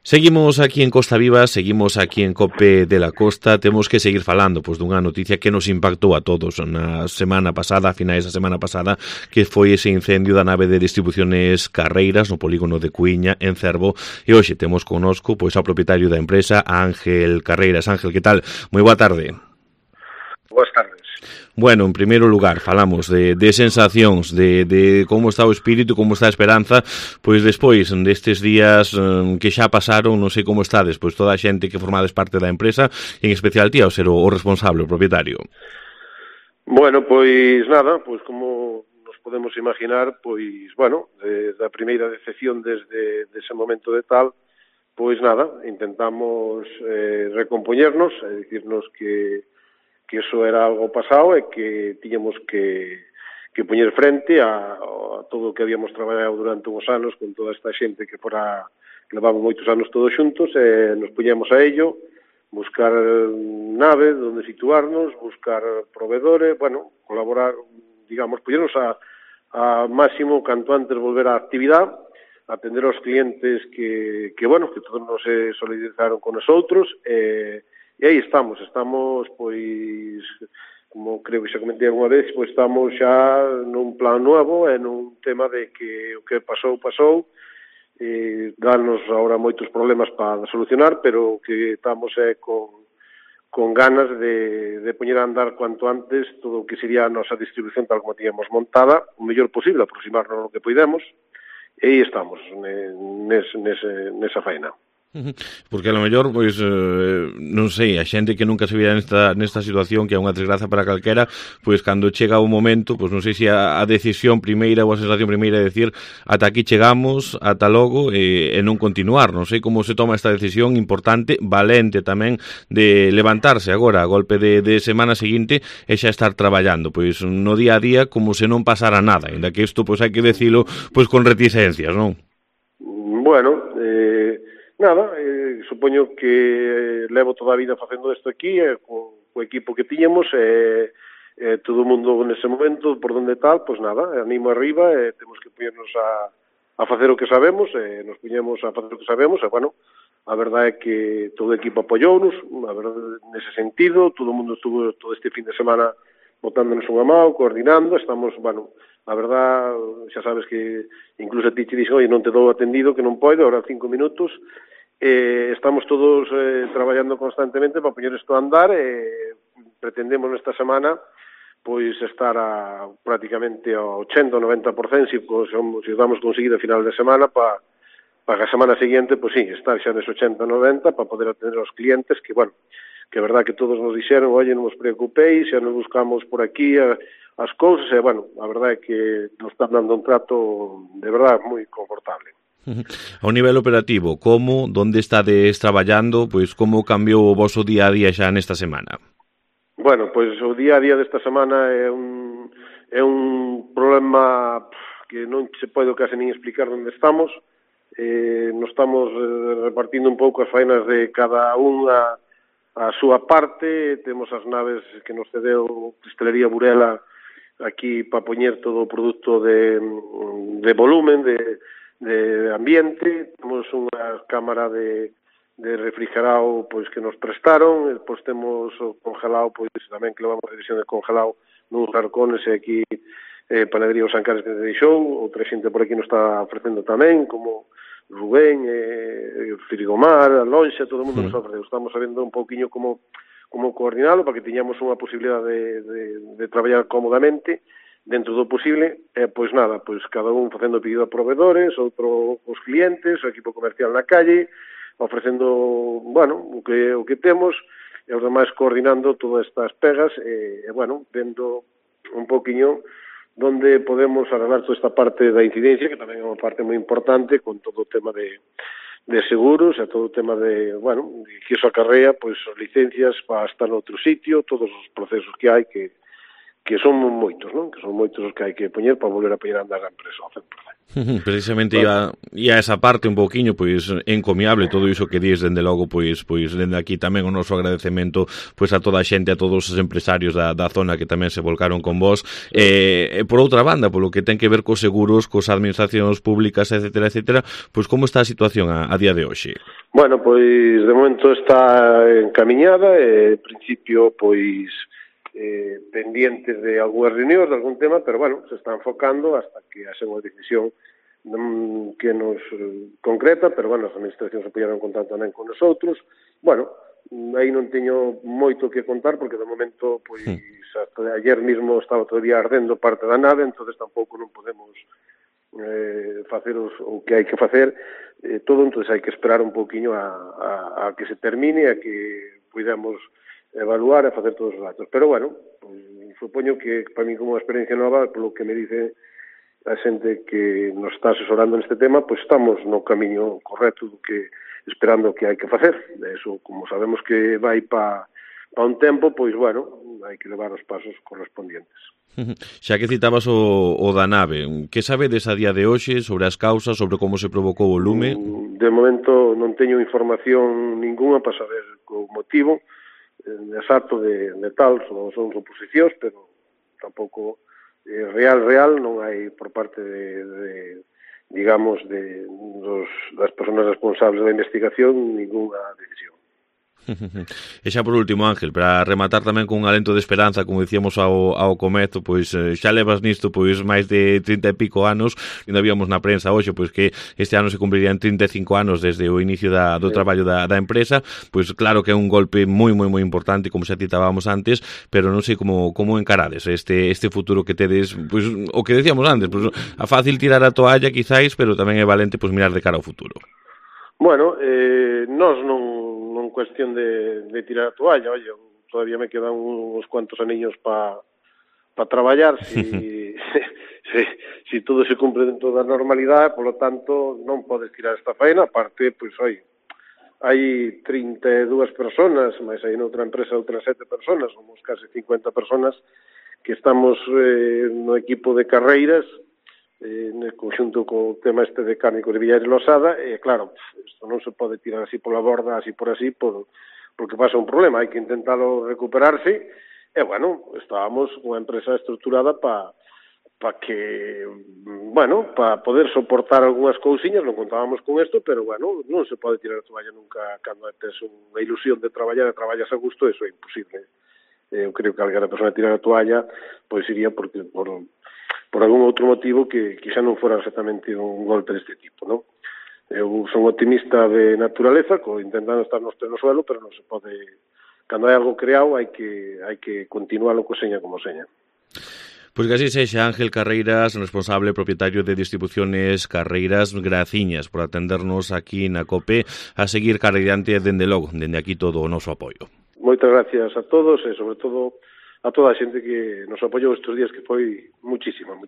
Seguimos aquí en Costa Viva, seguimos aquí en COPE de la Costa, temos que seguir falando dunha noticia que nos impactou a todos na semana pasada, a finais da semana pasada, que foi ese incendio da nave de distribuciones Carreiras no polígono de Cuíña, en Cervo, e hoxe temos connosco ao propietario da empresa, Ángel Carreiras. Ángel, que tal? Moi boa tarde. Boas tardes. Bueno, en primeiro lugar, falamos de sensacións, de como está o espírito, como está a esperanza, pois despois destes días que xa pasaron, non sei como está despois toda a xente que formades parte da empresa, en especial ti ao ser o responsable, o propietario. Bueno, pois nada, pois como nos podemos imaginar, pois, bueno, da primeira decepción desde ese momento de tal, pois nada, intentamos recompoñernos, dicirnos que eso era algo pasado e que tiñamos que poñer frente a todo o que habíamos traballado durante uns anos con toda esta xente que levamos moitos anos todos xuntos e nos puñemos a ello, buscar nave donde situarnos, buscar proveedores, bueno, colaborar, digamos, poñernos a máximo canto antes volver á actividade, atender aos clientes que todos nos solidarizaron con nosotros e aí estamos, pois, como creo que xa comentei alguna vez, pois estamos xa nun plan novo e nun tema de que o que pasou, danos agora moitos problemas para solucionar, pero que estamos con ganas de poñer a andar cuanto antes todo o que sería a nosa distribución tal como tíamos montada, o mellor posible, aproximarnos o que poidemos, e aí estamos, nesa faena. Porque a lo mellor, pois, non sei, a xente que nunca se vira nesta situación, que é unha desgraza para calquera, pois cando chega o momento, pois non sei se a decisión primeira ou a sensación primeira é decir ata aquí chegamos, ata logo e non continuar, non sei como se toma esta decisión importante, valente tamén, de levantarse agora a golpe de semana seguinte e xa estar traballando, pois no día a día como se non pasara nada, ainda que isto pois hai que decilo pois con reticencias, non? Bueno, nada, supoño que levo toda a vida facendo isto aquí, co equipo que tiñamos, todo o mundo nese momento, por donde tal, pois nada, animo arriba, temos que poñernos a facer o que sabemos, nos poñemos a facer o que sabemos, e, bueno, a verdade é que todo o equipo apoiounos, a verdade, nese sentido, todo o mundo estuvo todo este fin de semana botándonos unha mão, coordinando, estamos, bueno, a verdade, xa sabes que incluso a ti te dixen, oi, non te dou atendido, que non podo, ahora 5 minutos, estamos todos traballando constantemente para poñer isto a andar e pretendemos nesta semana pois estar prácticamente ao 80-90% se vamos conseguir a final de semana para a semana seguinte, pois sí, estar xa nese 80-90 para poder atender aos clientes que, bueno, que é verdad que todos nos dixeron, oye, non vos preocupéis, xa nos buscamos por aquí as cousas e, bueno, a verdade é que nos están dando un trato de verdade moi confortable. Ao nivel operativo, onde estades traballando, pois como cambiou o voso día a día xa nesta semana? Bueno, pois o día a día desta semana é un problema que non se pode case nin explicar onde estamos. Nos estamos repartindo un pouco as faenas de cada unha a súa parte. Temos as naves que nos cedeu Cristalería Burela aquí para poñer todo o produto de volumen, de ambiente. Temos unha cámara de refrigerado pois que nos prestaron, e depois temos o congelado, pois tamén que levamos a división de congelado nuns arcones e aquí Panadería Os Ancares que nos deixou, outra xente por aquí nos está ofrecendo tamén, como Rubén, Frigomar, a Lonxa, todo o mundo nos ofreceu. Estamos sabendo un pouquiño como coordinalo para que tiñamos unha posibilidade de traballar cómodamente dentro do posible, pois nada, pois cada un facendo pedido a proveedores, outro os clientes, o equipo comercial na calle, ofrecendo, bueno, o que temos, e os demais coordinando todas estas pegas, e bueno, vendo un pouquiño donde podemos arreglar toda esta parte da incidencia, que tamén é unha parte moi importante, con todo o tema de seguros, e todo o tema de, bueno, que iso acarrea, pois, as licencias para estar noutro sitio, todos os procesos que hai que son moitos, non? Que son moitos os que hai que poñer para volver a poñer a andar a empresa ao 100%. Precisamente ia esa parte un pouquiño pois encomiable todo iso que dis, dende logo pois dende aquí tamén o noso agradecemento pois a toda a xente, a todos os empresarios da zona que tamén se volcaron con vos. Por outra banda, polo que ten que ver cos seguros, cos administracións públicas, etcétera, pois como está a situación a día de hoxe? Bueno, pois de momento está encamiñada, en principio pois pendientes de algunhas reunións, de algún tema, pero bueno, se está enfocando hasta que haxe unha decisión que nos concreta, pero bueno, as administracións se poñeron en contacto tamén con nosotros. Bueno, aí non teño moito que contar, porque de momento, pois, hasta ayer mismo estaba todavía ardendo parte da nave, entonces tampouco non podemos facer o que hai que facer todo, entonces hai que esperar un pouquiño a que se termine, a que podamos evaluar e facer todos os datos. Pero, bueno, pues, supoño que para mí como unha experiencia nova, polo que me dice a xente que nos está asesorando neste tema, pues estamos no camiño correcto do que esperando o que hai que facer. Eso, como sabemos que vai pa un tempo, pois, bueno, hai que levar os pasos correspondientes. Xa que citabas o da nave, que sabedes a día de hoxe sobre as causas, sobre como se provocou o lume? De momento non teño información ninguna para saber o motivo exacto de tal, son suposicións, pero tampouco real non hai por parte digamos, das persoas responsables da investigación ninguna decisión. E xa por último, Ángel, para rematar tamén con un alento de esperanza, como dicíamos ao comezo, pois xa levas nisto pois máis de 30 e pico anos, e non víamos na prensa hoxe pois que este ano se cumprirían 35 anos desde o inicio do traballo da empresa, pois claro que é un golpe moi importante, como xa citábamos antes, pero non sei como encarades este futuro que tedes, pois o que decíamos antes, pois a fácil tirar a toalla quizáis, pero tamén é valente pois mirar de cara ao futuro. Bueno, nós non cuestión de tirar a toalla, oye, todavía me quedan uns cuantos aniños para traballar, si todo se cumpre dentro da normalidade, polo tanto, non podes tirar esta faena, aparte, pois, oye, hai 32 personas, máis hai noutra empresa outras 7 personas, somos case 50 personas que estamos no equipo de carreiras, no conxunto co tema este de Cárnicos de Villares Losada, e claro, isto non se pode tirar así pola borda, así por así, porque pasa un problema, hai que intentalo recuperarse, e bueno, estábamos unha empresa estruturada para que, bueno, para poder soportar algunhas cousiñas, non contábamos con isto, pero bueno, non se pode tirar a toalla nunca cando tes unha ilusión de traballar e traballas a gusto, eso é imposible. Eu creo que alguén a persona tirar a toalla, pois iría porque por algún outro motivo que xa non fora exactamente un golpe deste tipo, non? Eu son optimista de naturaleza, intentando estar nos pleno suelo, pero non se pode, cando hai algo creado, hai que continualo co seña como seña. Pois que así sexa, Ángel Carreiras, responsable propietario de Distribuciones Carreiras, graciñas por atendernos aquí na COPE, a seguir carreirante dende logo, dende aquí todo o noso apoio. Moitas gracias a todos e, sobre todo, a toda a xente que nos apoiou estes días, que foi muchísima.